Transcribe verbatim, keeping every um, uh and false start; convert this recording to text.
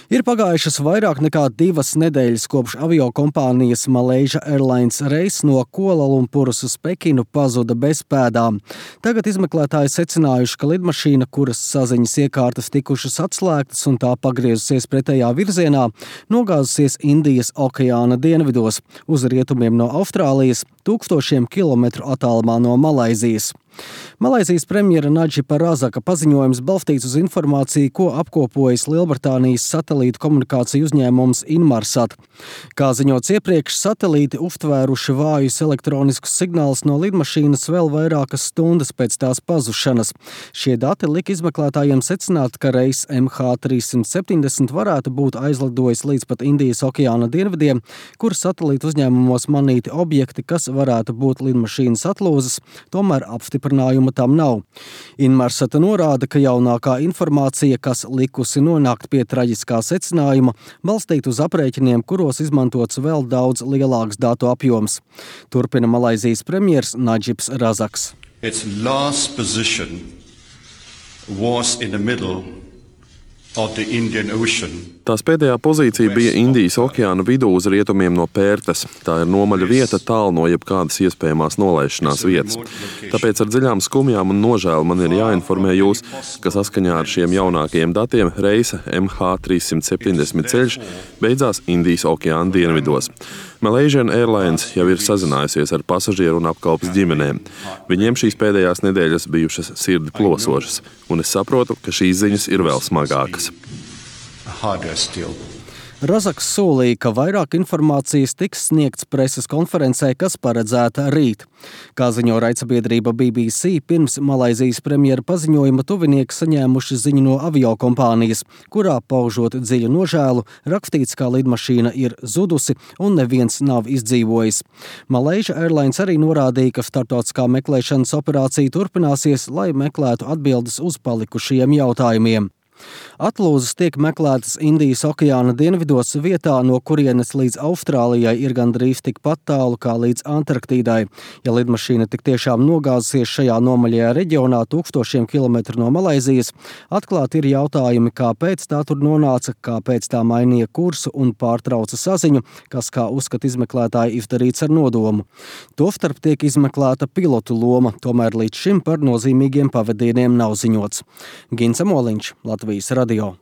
Ir pagājušas vairāk nekā divas nedēļas kopš aviokompānijas Malaysia Airlines reiss no Kualalumpuras uz Pekinu pazuda bez pēdām. Tagad izmeklētāji secinājuši, ka lidmašīna, kuras saziņas iekārtas tikušas atslēgtas un tā pagriezusies pretējā virzienā, nogāzusies Indijas okeāna dienvidos, uz rietumiem no Austrālijas, tūkstošiem kilometru attālumā no Malaizijas. Malaizijas premjera Nadžipa Razaka paziņojums balstīts uz informāciju, ko apkopojas Lielbritānijas satelītu komunikāciju uzņēmums Inmarsat. Kā ziņots iepriekš, satelīti uztvēruši vājus elektroniskus signālus no lidmašīnas vēl vairākas stundas pēc tās pazušanas. Šie dati lika izmeklētājiem secināt, ka reiss M H trīssimt septiņdesmit varētu būt aizlidojis līdz pat Indijas okeāna dienvidiem, kur satelītu uzņēmumos manīti objekti, kas varētu būt lidmašīnas atlūzas, tomēr apstiprinājuma tam nav. Inmarsata norāda, ka jaunākā informācija, kas likusi nonākt pie traģiskā secinājuma, balstīta uz aprēķiniem, kuros izmantots vēl daudz lielāks datu apjoms. Turpina Malaizijas premjers Nadžips Razaks. Its last position was in the middle of the Indian Ocean. Tās pēdējā pozīcija bija Indijas okeāna vidū uz rietumiem no Pērtes. Tā ir nomaļa vieta tālu no jebkādas iespējamās nolaišanās vietas. Tāpēc ar dziļām skumjām un nožēlu man ir jāinformē jūs, ka saskaņā ar šiem jaunākajiem datiem reisa M H trīssimt septiņdesmit ceļš beidzās Indijas okeāna dienvidos. Malaysia Airlines jau ir sazinājusies ar pasažieru un apkalpes ģimenēm. Viņiem šīs pēdējās nedēļas bijušas sirdi plosošas, un es saprotu, ka šīs ziņas ir vēl smagākas. Razaks solīja, ka vairāk informācijas tiks sniegts preses konferencē, kas paredzēta rīt. Kā ziņo raidsabiedrība B B C, pirms Malaizijas premjera paziņojuma tuvinieki saņēmuši ziņu no aviokompānijas, kurā paužot dziļu nožēlu, rakstīts, ka lidmašīna ir zudusi un neviens nav izdzīvojis. Malaysia Airlines arī norādīja, ka starptautiskā meklēšanas operācija turpināsies, lai meklētu atbildes uz palikušajiem jautājumiem. Atlūzas tiek meklētas Indijas okeāna dienvidos vietā, no kurienes līdz Austrālijai ir gandrīz tikpat tālu kā līdz Antarktīdai. Ja lidmašīna tik tiešām nogāzusies šajā nomaļajā reģionā tūkstošiem kilometru no Malaizijas, atklāti ir jautājumi, kāpēc tā tur nonāca, kāpēc tā mainīja kursu un pārtrauca saziņu, kas, kā uzskata izmeklētāji, izdarīts ar nodomu. Tostarp tiek izmeklēta pilotu loma, tomēr līdz šim par nozīmīgiem pavadieniem nav ziņots. Gints Amoliņš, Latvijas radio.